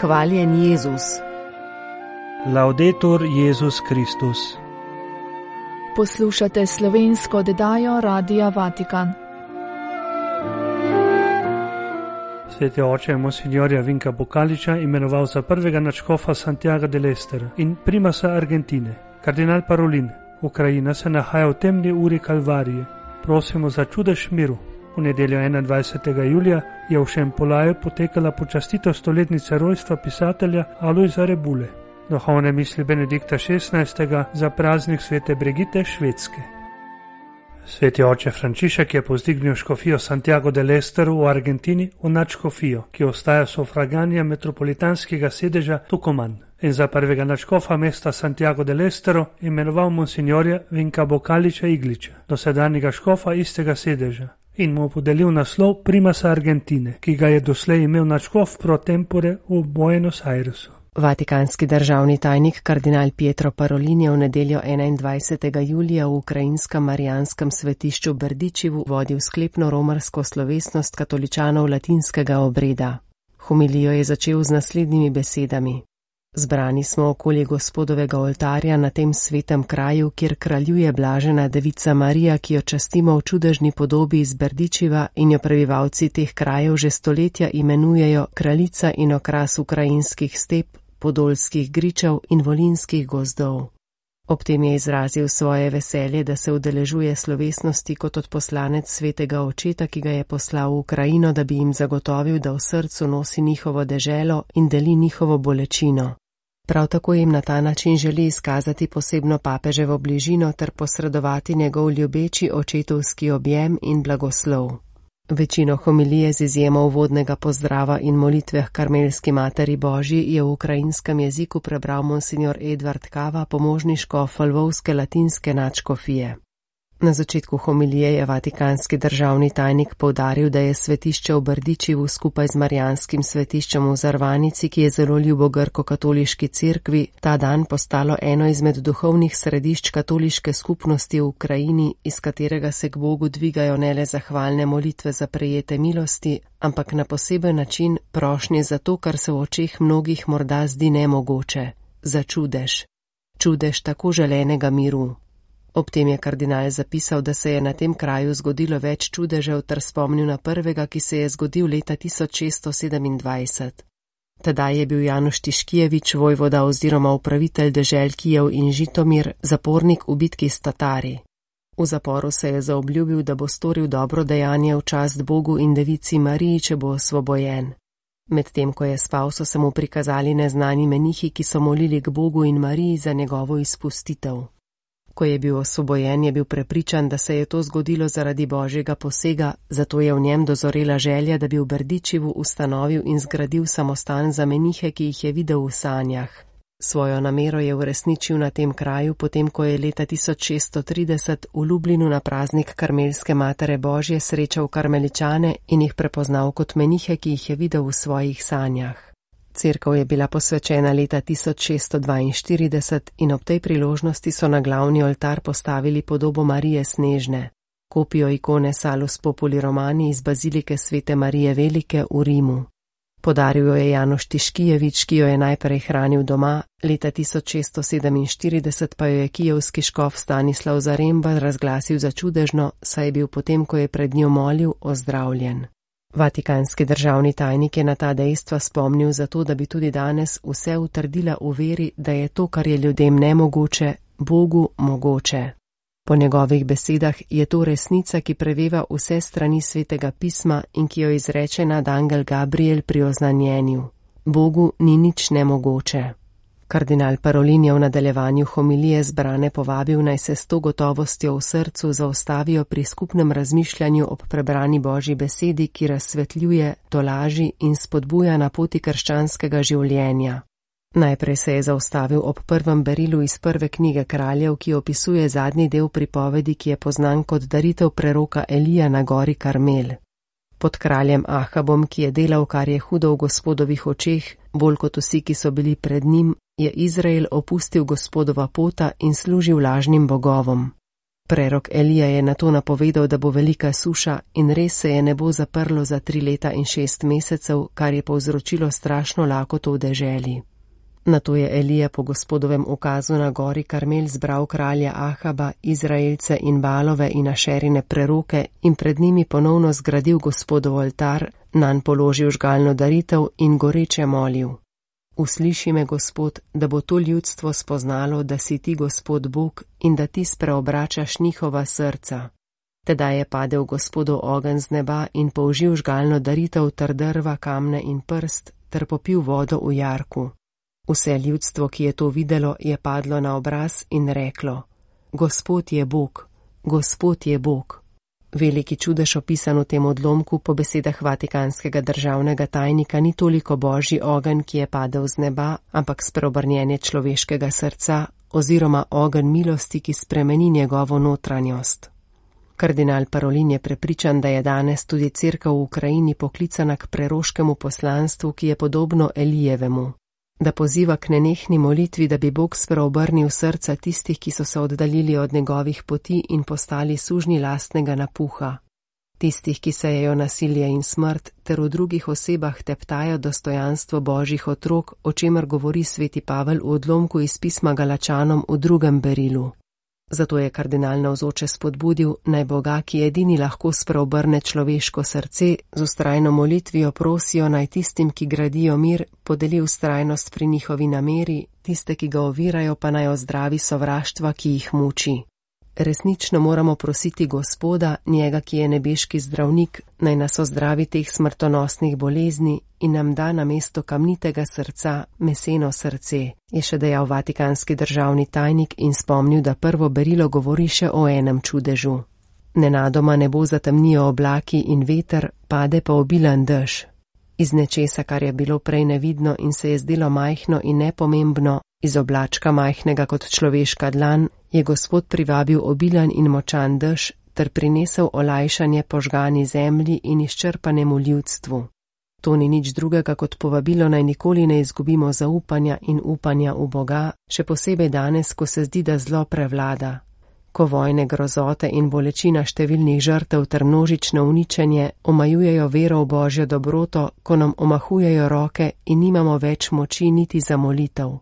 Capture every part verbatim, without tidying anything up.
Hvaljen Jezus. Laudetur Jezus Kristus. Poslušate slovensko oddajo Radia Vatikan. Sveti oče Monsignorja Vinka Bocaliča imenoval za prvega nadškofa Santiago del Estero in primasa Argentine. Kardinal Parolin, Ukrajina se nahaja v temni uri Kalvarije. Prosimo za čudež miru. V nedeljo enaindvajsetega julija je v Šempolaju potekala počastitev stoletnice rojstva pisatelja Alojza Rebule. Duhovne misli Benedikta šestnajstega za praznik svete Brigite Švedske. Sveti oče Frančišek je povzdignil škofijo Santiago del Estero v Argentini v nadškofijo, ki ostaja sufraganja metropolitanskega sedeža Tucumán, in za prvega nadškofa mesta Santiago del Estero imenoval monsignorja Vinka Bocaliča Igliča, dosedanjega škofa istega sedeža, in mu podelil naslov primasa Argentine, ki ga je doslej imel nadškof pro tempore v Buenos Airesu. Vatikanski državni tajnik kardinal Pietro Parolin je v nedeljo enaindvajsetega julija v ukrajinskem marijanskem svetišču Berdičevu vodil sklepno romarsko slovesnost katoličanov latinskega obreda. Homilijo je začel z naslednjimi besedami. Zbrani smo okoli Gospodovega oltarja na tem svetem kraju, kjer kraljuje blažena devica Marija, ki jo častimo v čudežni podobi iz Berdičeva in jo prebivalci teh krajev že stoletja imenujejo kraljica in okras ukrajinskih step, podolskih gričev in volinskih gozdov. Ob tem je izrazil svoje veselje, da se udeležuje slovesnosti kot odposlanec svetega očeta, ki ga je poslal v Ukrajino, da bi jim zagotovil, da v srcu nosi njihovo deželo in deli njihovo bolečino. Prav tako jim na ta način želi izkazati posebno papeževo bližino ter posredovati njegov ljubeči očetovski objem in blagoslov. Večino homilije z izjemo uvodnega pozdrava in molitve h Karmelski materi Božji je v ukrajinskem jeziku prebral monsignor Edvard Kava, pomožni škof lvovske latinske nadškofije. Na začetku homilije je vatikanski državni tajnik poudaril, da je svetišče v Berdičevu skupaj z marijanskim svetiščem v Zarvanici, ki je zelo ljubo grko-katoliški cerkvi, ta dan postalo eno izmed duhovnih središč katoliške skupnosti v Ukrajini, iz katerega se k Bogu dvigajo ne le zahvalne molitve za prejete milosti, ampak na poseben način prošnje za to, kar se v očeh mnogih morda zdi nemogoče, za čudež. Čudež tako želenega miru. Ob tem je kardinal zapisal, da se je na tem kraju zgodilo več čudežev ter spomnil na prvega, ki se je zgodil leta tisoč šeststo sedemindvajset. Tedaj je bil Januš Tiškijevič, vojvoda oziroma upravitelj dežel Kijev in Žitomir, zapornik v bitki s Tatari. V zaporu se je zaobljubil, da bo storil dobro dejanje v čast Bogu in devici Mariji, če bo osvobojen. Medtem ko je spal, so se mu prikazali neznani menihi, ki so molili k Bogu in Mariji za njegovo izpustitev. Ko je bil osvobojen, je bil prepričan, da se je to zgodilo zaradi božjega posega, zato je v njem dozorela želja, da bi v Berdičevu ustanovil in zgradil samostan za menihe, ki jih je videl v sanjah. Svojo namero je uresničil na tem kraju, potem ko je leta tisoč šeststo trideset v Lublinu na praznik Karmelske matere Božje srečal karmeličane in jih prepoznal kot menihe, ki jih je videl v svojih sanjah. Cerkev je bila posvečena leta tisoč šeststo dvainštirideset in ob tej priložnosti so na glavni oltar postavili podobo Marije Snežne, kopijo ikone Salus Populi Romani iz bazilike svete Marije Velike v Rimu. Podaril jo je Januš Tiškijevič, ki jo je najprej hranil doma, leta tisoč šeststo sedeminštirideset pa jo je kijevski škof Stanislav Zaremba razglasil za čudežno, saj je bil potem, ko je pred njo molil, ozdravljen. Vatikanski državni tajnik je na ta dejstva spomnil zato, da bi tudi danes vse utrdila v veri, da je to, kar je ljudem nemogoče, Bogu mogoče. Po njegovih besedah je to resnica, ki preveva vse strani svetega pisma in ki jo izreče nad angel Gabriel pri oznanjenju. Bogu ni nič nemogoče. Kardinal Parolin je v nadaljevanju homilije zbrane povabil, naj se s to gotovostjo v srcu zaustavijo pri skupnem razmišljanju ob prebrani Božji besedi, ki razsvetljuje, tolaži in spodbuja na poti krščanskega življenja. Najprej se je zaustavil ob prvem berilu iz prve knjige Kraljev, ki opisuje zadnji del pripovedi, ki je poznan kot daritev preroka Elija na gori Karmel. Pod kraljem Ahabom, ki je delal, kar je hudo v Gospodovih očeh, bolj kot vsi, ki so bili pred njim, je Izrael opustil Gospodova pota in služil lažnim bogovom. Prerok Elija je nato napovedal, da bo velika suša in res se je nebo zaprlo za tri leta in šest mesecev, kar je povzročilo strašno lakoto v deželi. Nato je Elija po Gospodovem ukazu na gori Karmel zbral kralja Ahaba, Izraelce in Balove in Ašerine preroke in pred njimi ponovno zgradil Gospodov oltar, nanj položil žgalno daritev in goreče molil: Usliši me, Gospod, da bo to ljudstvo spoznalo, da si ti Gospod Bog in da ti spreobračaš njihova srca. Tedaj je padel Gospodov ogenj z neba in použil žgalno daritev ter drva, kamne in prst ter popil vodo v jarku. Vse ljudstvo, ki je to videlo, je padlo na obraz in reklo: Gospod je Bog, Gospod je Bog. Veliki čudež opisan v tem odlomku po besedah vatikanskega državnega tajnika ni toliko božji ogenj, ki je padel z neba, ampak spreobrnjenje človeškega srca oziroma ogenj milosti, ki spremeni njegovo notranjost. Kardinal Parolin je prepričan, da je danes tudi cerkev v Ukrajini poklicana k preroškemu poslanstvu, ki je podobno Elijevemu, da poziva k nenehni molitvi, da bi Bog spreobrnil srca tistih, ki so se oddaljili od njegovih poti in postali sužnji lastnega napuha, tistih, ki sejejo nasilje in smrt, ter v drugih osebah teptajo dostojanstvo božjih otrok, o čemer govori sveti Pavel v odlomku iz pisma Galačanom v drugem berilu. Zato je kardinal navzoče spodbudil, naj Boga, ki edini lahko spreobrne človeško srce, z vztrajno molitvijo prosijo, naj tistim, ki gradijo mir, podeli vztrajnost pri njihovi nameri, tiste, ki ga ovirajo, pa naj ozdravi sovraštva, ki jih muči. Resnično moramo prositi Gospoda, njega, ki je nebeški zdravnik, naj nas ozdravi teh smrtonosnih bolezni in nam da namesto kamnitega srca meseno srce, je še dejal vatikanski državni tajnik in spomnil, da prvo berilo govori še o enem čudežu. Nenadoma nebo zatemnijo oblaki in veter, pade pa obilen dež. Iz nečesa, kar je bilo prej nevidno in se je zdelo majhno in nepomembno, iz oblačka majhnega kot človeška dlan, je Gospod privabil obilen in močan dež ter prinesel olajšanje požgani zemlji in izčrpanemu ljudstvu. To ni nič drugega kot povabilo, naj nikoli ne izgubimo zaupanja in upanja v Boga, še posebej danes, ko se zdi, da zlo prevlada. Ko vojne, grozote in bolečina številnih žrtev ter množično uničenje omajujejo vero v Božjo dobroto, ko nam omahujejo roke in nimamo več moči niti za molitev.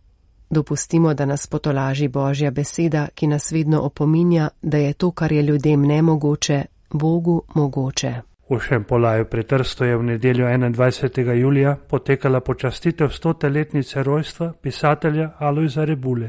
Dopustimo, da nas potolaži Božja beseda, ki nas vedno opominja, da je to, kar je ljudem nemogoče, Bogu mogoče. V Šempolaju pri Trstu je v nedeljo enaindvajsetega julija potekala počastitev stote letnice rojstva pisatelja Alojza Rebule.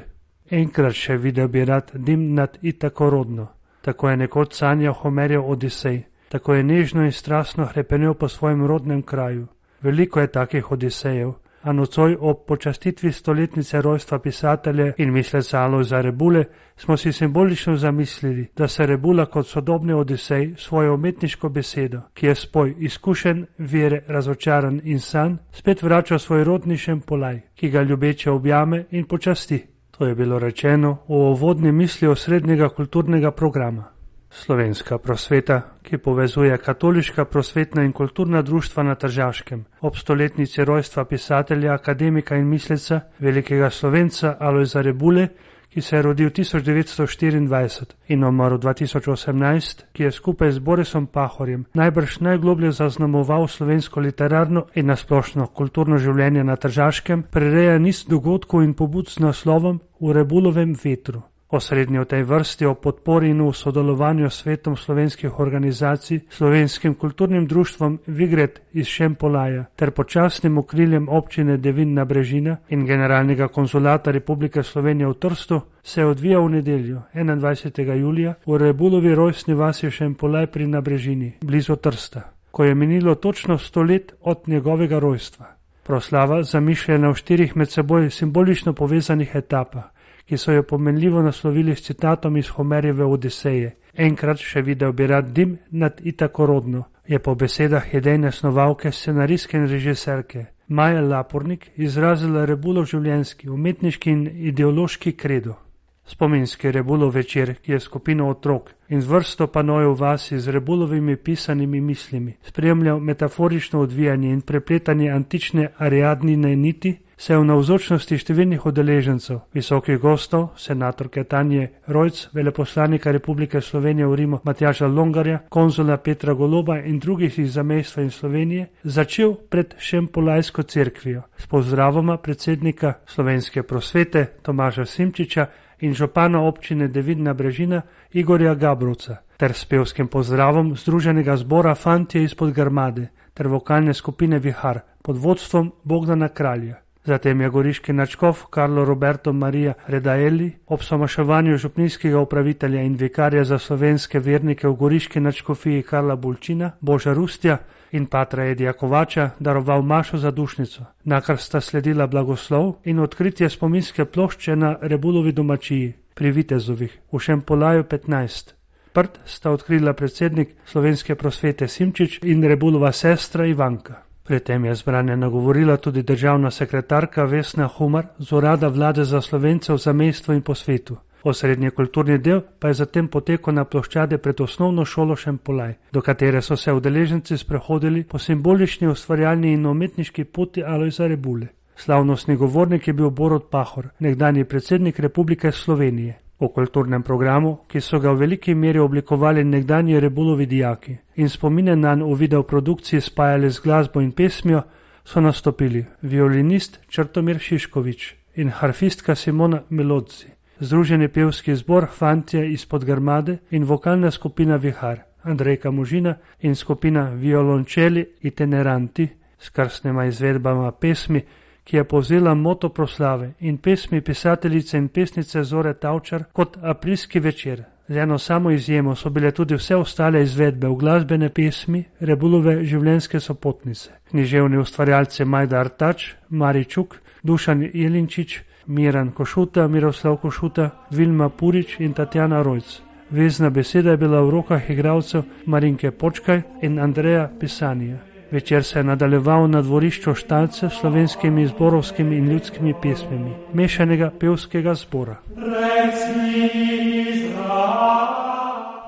Enkrat še videl bi rad dim nad Itako rodno. Tako je nekoč sanjal Homerjev Odisej, tako je nežno in strastno hrepenel po svojem rodnem kraju. Veliko je takih Odisejev, a nocoj ob počastitvi stoletnice rojstva pisatelja in misleca Alojza Rebule smo si simbolično zamislili, da se Rebula kot sodobni Odisej svojo umetniško besedo, ki je spoj izkušen, vere, razočaran in sanj, spet vrača svoj rodni Šempolaj, ki ga ljubeče objame in počasti. To je bilo rečeno v uvodni misli osrednjega kulturnega programa. Slovenska prosveta, ki povezuje katoliška prosvetna in kulturna društva na Tržaškem, ob stoletnici rojstva pisatelja, akademika in misleca, velikega Slovenca Alojza Rebule, ki se je rodil tisoč devetsto štiriindvajset in umrl dva tisoč osemnajst, ki je skupaj z Borisom Pahorjem najbrž najgloblje zaznamoval slovensko literarno in nasplošno kulturno življenje na Tržaškem, prireja niz dogodkov in pobud z naslovom V Rebulovem vetru. Osrednji v tej vrsti o podpori in v sodelovanju s svetom slovenskih organizacij, Slovenskim kulturnim društvom Vigret iz Šempolaja ter počasnim okriljem občine Devinna Brežina in generalnega konzulata Republike Slovenije v Trstu, se je odvijal v nedeljo enaindvajsetega julija v Rebulovi rojstni vasi Šempolaj pri Nabrežini, blizu Trsta, ko je minilo točno sto let od njegovega rojstva. Proslava, zamišljena v štirih med seboj simbolično povezanih etapah, ki so jo pomenljivo naslovili s citatom iz Homerjeve Odiseje. Enkrat še videl bi rad dim nad Itako rodno, je po besedah idejne snovalke, scenaristke in režiserke Maje Lapornik izrazila Rebulov življenjski, umetniški in ideološki kredo. Spominski Rebulov večer, ki je skupino otrok in z vrsto panojev vasi z Rebulovimi pisanimi mislimi spremljal metaforično odvijanje in prepletanje antične Ariadnine niti, se je v navzočnosti številnih udeležencev, visokih gostov, senatorke Tanje Rojc, veleposlanika Republike Slovenije v Rimu Matjaža Longarja, konzula Petra Goloba in drugih iz zamejstva in Slovenije, začel pred Šempolajsko cerkvijo s pozdravoma predsednika Slovenske prosvete Tomaža Simčiča in župana občine Devidna Brežina Igorja Gabrovca ter s pevskim pozdravom Združenega zbora Fantje izpod Grmade ter vokalne skupine Vihar pod vodstvom Bogdana Kralja. Zatem je goriški nadškof Karlo Roberto Maria Redaelli ob somaševanju župnijskega upravitelja in vikarja za slovenske vernike v goriški nadškofiji Karla Bulčina, Boža Rustja in patra Edija Kovača daroval mašo za dušnico, nakar sta sledila blagoslov in odkritje spominske plošče na Rebulovi domačiji pri Vitezovih v Šempolaju petnajst. Prt sta odkrila predsednik Slovenske prosvete Simčič in Rebulova sestra Ivanka. Pri tem je zbranje nagovorila tudi državna sekretarka Vesna Humar z urada vlade za Slovence v zamejstvu in po svetu. Osrednji kulturni del pa je zatem potekal na ploščade pred osnovno šolo Šempolaj, do katere so se udeleženci sprehodili po simbolični ustvarjalni in umetniški poti Alojza Rebule. Slavnostni govornik je bil Borut Pahor, nekdanji predsednik Republike Slovenije. V kulturnem programu, ki so ga v veliki meri oblikovali nekdanji Rebulovi dijaki in spomine nanj v videoprodukciji spajali z glasbo in pesmijo, so nastopili violinist Črtomir Šiškovič in harfistka Simona Melodzi, združeni pevski zbor Fantje izpod Grmade in vokalna skupina Vihar, Andrejka Možina in skupina Violončeli itineranti s krstnima izvedbama pesmi, ki je povzela moto proslave in pesmi pisateljice in pesnice Zore Tavčar kot Aprilski večer. Z eno samo izjemo so bile tudi vse ostale izvedbe v glasbene pesmi Rebulove življenjske sopotnice. Književni ustvarjalci Majda Artač, Mari Čuk, Dušan Jelinčič, Miran Košuta, Miroslav Košuta, Vilma Purič in Tatjana Rojc. Vezna beseda je bila v rokah igralcev Marinke Počkaj in Andreja Pisanija. Večer se je nadaljeval na dvorišču Štalce s slovenskimi zborovskimi in ljudskimi pesmimi mešanega pevskega zbora.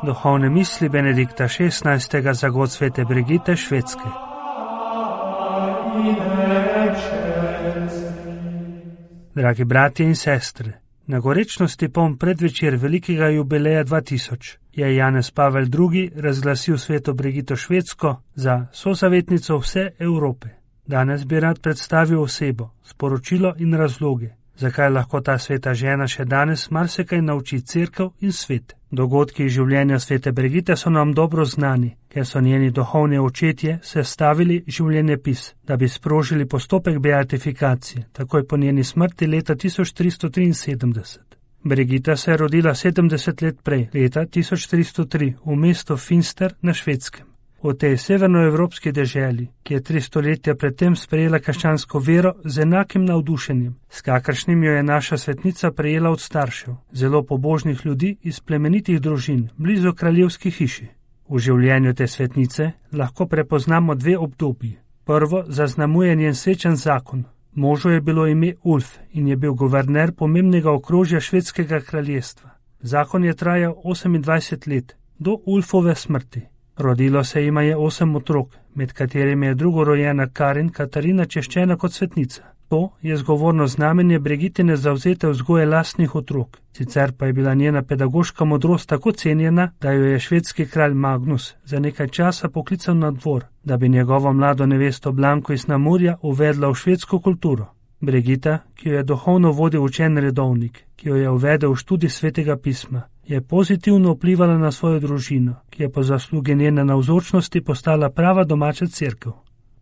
Duhovne misli Benedikta šestnajstega za god svete Brigite Švedske. Dragi bratje in sestre, na gorečnosti poln predvečer velikega jubileja dva tisoč je Janez Pavel drugi razglasil sveto Brigito Švedsko za sozavetnico vse Evrope. Danes bi rad predstavil osebo, sporočilo in razloge, zakaj lahko ta sveta žena še danes marsikaj nauči cerkev in svet. Dogodki iz življenja svete Brigite so nam dobro znani, ker so njeni duhovni očetje sestavili življenjepis, da bi sprožili postopek beatifikacije, takoj po njeni smrti leta tisoč tristo triinsedemdeset. Brigita se je rodila sedemdeset let prej, leta tisoč tristo tri, v mestu Finster na Švedskem. V tej severnoevropski deželi, ki je tri stoletja predtem sprejela krščansko vero z enakim navdušenjem, s kakršnim jo je naša svetnica prejela od staršev, zelo pobožnih ljudi iz plemenitih družin, blizu kraljevski hiši. V življenju te svetnice lahko prepoznamo dve obdobji. Prvo zaznamuje njen srečen zakon. Možu je bilo ime Ulf in je bil guverner pomembnega okrožja švedskega kraljestva. Zakon je trajal osemindvajset let, do Ulfove smrti. Rodilo se jima je osem otrok, med katerimi je drugorojena Karin Katarina češčena kot svetnica. To je zgovorno znamenje Brigitine zavzete vzgoje lastnih otrok. Sicer pa je bila njena pedagoška modrost tako cenjena, da jo je švedski kralj Magnus za nekaj časa poklical na dvor, da bi njegovo mlado nevesto Blanko iz Namurja uvedla v švedsko kulturo. Brigita, ki jo je duhovno vodil učen redovnik, ki jo je uvedel v študij svetega pisma, je pozitivno vplivala na svojo družino, ki je po zaslugi njene navzočnosti postala prava domača cerkev.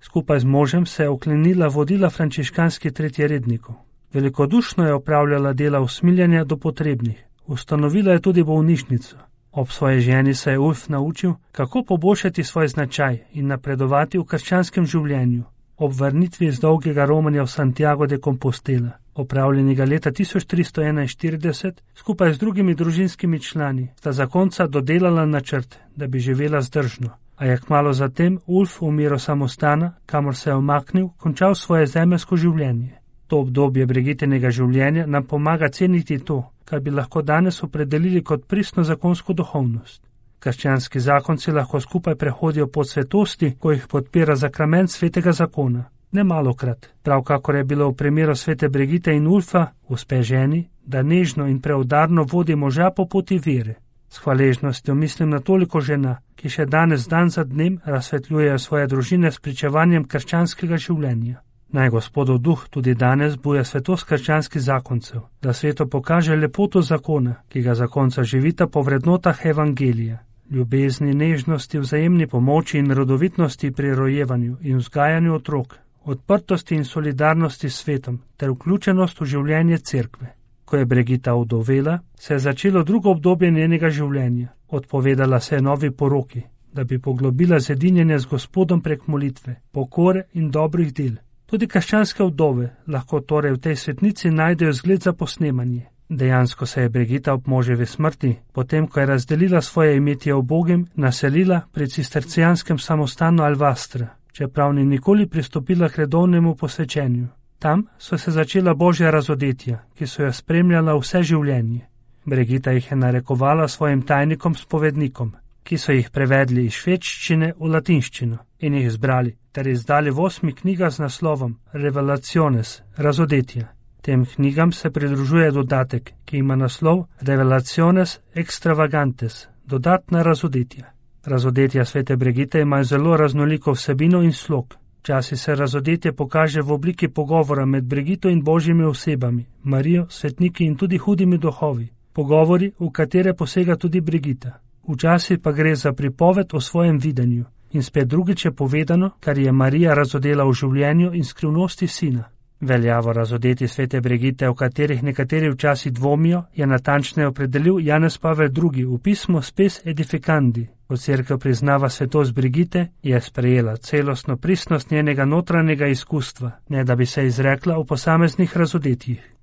Skupaj z možem se je oklenila vodila frančiškanski tretjerednikov. Velikodušno je opravljala dela usmiljanja do potrebnih. Ustanovila je tudi bolnišnico. Ob svoji ženi se je Ulf naučil, kako poboljšati svoj značaj in napredovati v krščanskem življenju. Ob vrnitvi iz dolgega romanja v Santiago de Compostela, opravljenega leta tisoč tristo enainštirideset, skupaj z drugimi družinskimi člani, sta zakonca dodelala načrt, da bi živela zdržno. A je kmalu zatem Ulf v miru samostana, kamor se je omaknil, končal svoje zemeljsko življenje. To obdobje Brigitinega življenja nam pomaga ceniti to, kar bi lahko danes opredelili kot pristno zakonsko duhovnost. Krščanski zakonci lahko skupaj prehodijo pot svetosti, ko jih podpira zakrament svetega zakona. Nemalokrat, prav kakor je bilo v primeru svete Brigite in Ulfa, uspe ženi, da nežno in preudarno vodi moža po poti vere. S hvaležnostjo mislim na toliko žena, ki še danes dan za dnem razsvetljujejo svoje družine s pričevanjem krščanskega življenja. Naj Gospodov duh tudi danes buja svetost krščanskih zakoncev, da svetu pokaže lepoto zakona, ki ga zakonca živita po vrednotah evangelija, ljubezni, nežnosti, vzajemni pomoči in rodovitnosti pri rojevanju in vzgajanju otrok, odprtosti in solidarnosti s svetom ter vključenost v življenje cerkve. Ko je Brigita ovdovela, se je začelo drugo obdobje njenega življenja. Odpovedala se je novi poroki, da bi poglobila zedinjenje z Gospodom prek molitve, pokore in dobrih del. Tudi krščanske vdove lahko torej v tej svetnici najdejo zgled za posnemanje. Dejansko se je Brigita ob moževi smrti, potem ko je razdelila svoje imetje ubogim, naselila pri cistercijanskem samostanu Alvastra, čeprav ni nikoli pristopila k redovnemu posvečenju. Tam so se začela božja razodetja, ki so jo spremljala vse življenje. Brigita jih je narekovala svojim tajnikom spovednikom, ki so jih prevedli iz švedščine v latinščino in jih zbrali ter izdali v osmi knjigah z naslovom Revelaciones, razodetja. Tem knjigam se pridružuje dodatek, ki ima naslov Revelaciones extravagantes, dodatna razodetja. Razodetja svete Brigite imajo zelo raznoliko vsebino in slog. Včasih se razodetje pokaže v obliki pogovora med Brigito in božjimi osebami, Marijo, svetniki in tudi hudimi duhovi. Pogovori, v katere posega tudi Brigita. Včasih pa gre za pripoved o svojem videnju. In spet drugič je povedano, kar je Marija razodela v življenju in skrivnosti sina. Veljavo razodeti svete Brigite, o katerih nekateri včasih dvomijo, je natančneje opredelil Janez Pavel drugi v pismu Spes Edificandi. Ko cerkev priznava svetost Brigite, je sprejela celostno pristnost njenega notranjega izkustva, ne da bi se izrekla o posameznih razodetjih.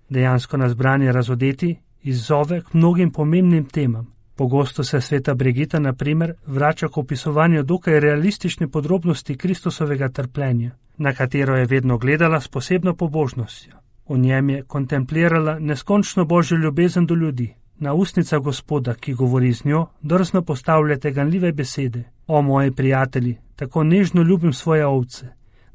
Dejansko nas branje razodeti izzove k mnogim pomembnim temam. Pogosto se sveta Brigita, na primer, vrača k opisovanju dokaj realistične podrobnosti Kristusovega trpljenja, na katero je vedno gledala s posebno pobožnostjo. V njem je kontemplirala neskončno božjo ljubezen do ljudi. Na ustnica Gospoda, ki govori z njo, drzno postavljate ganljive besede. O moji prijatelji, tako nežno ljubim svoje ovce,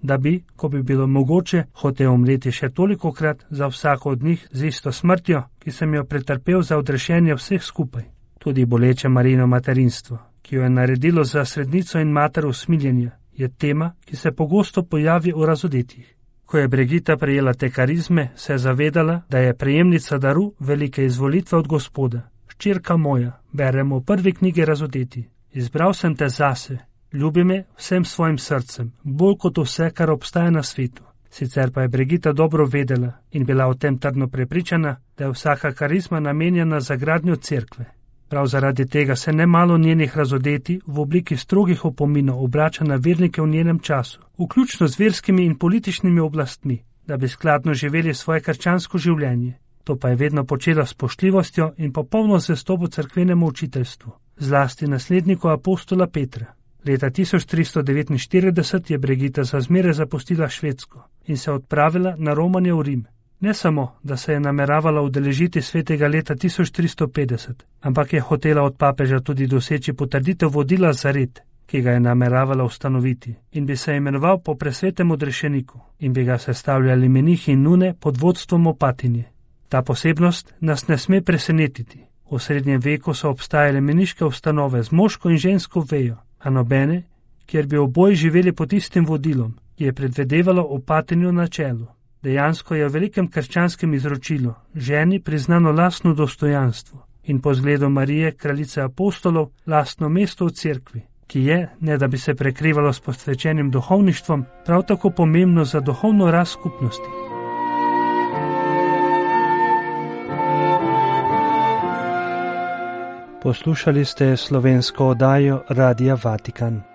da bi, ko bi bilo mogoče, hotel umreti še tolikokrat za vsako od njih z isto smrtjo, ki sem jo pretrpel za odrešenje vseh skupaj. Tudi boleče Marijino materinstvo, ki jo je naredilo za srednico in mater usmiljenja, je tema, ki se pogosto pojavi v razodetjih. Ko je Brigita prejela te karizme, se je zavedala, da je prejemnica daru velike izvolitve od Gospoda. Hčerka moja, beremo v prvi knjigi Razodeti. Izbral sem te zase, ljubi me vsem svojim srcem, bolj kot vse, kar obstaja na svetu. Sicer pa je Brigita dobro vedela in bila o tem trdno prepričana, da je vsaka karizma namenjena za gradnjo cerkve. Prav zaradi tega se nemalo njenih razodeti v obliki strogih opominov obrača na vernike v njenem času, vključno z verskimi in političnimi oblastmi, da bi skladno živeli svoje krščansko življenje. To pa je vedno počela s spoštljivostjo in popolno zvestobo cerkvenemu učiteljstvu, zlasti nasledniku apostola Petra. Leta tisoč tristo devetinštirideset je Brigita za zmeraj zapustila Švedsko in se odpravila na romanje v Rim. Ne samo, da se je nameravala udeležiti svetega leta tisoč tristo petdeset, ampak je hotela od papeža tudi doseči potrditev vodila za red, ki ga je nameravala ustanoviti, in bi se imenoval po presvetem odrešeniku in bi ga sestavljali menihi in nune pod vodstvom opatinje. Ta posebnost nas ne sme presenetiti. V srednjem veku so obstajale meniške ustanove z moško in žensko vejo, a nobene, kjer bi oboji živeli pod istim vodilom, ki je predvedevalo opatinjo na čelu. Dejansko je v velikem krščanskem izročilu ženi priznano lastno dostojanstvo in po zgledu Marije, kraljice apostolov, lastno mesto v cerkvi, ki je, ne da bi se prekrivalo s posvečenim duhovništvom, prav tako pomembno za duhovno rast skupnosti. Poslušali ste slovensko oddajo Radia Vatikan.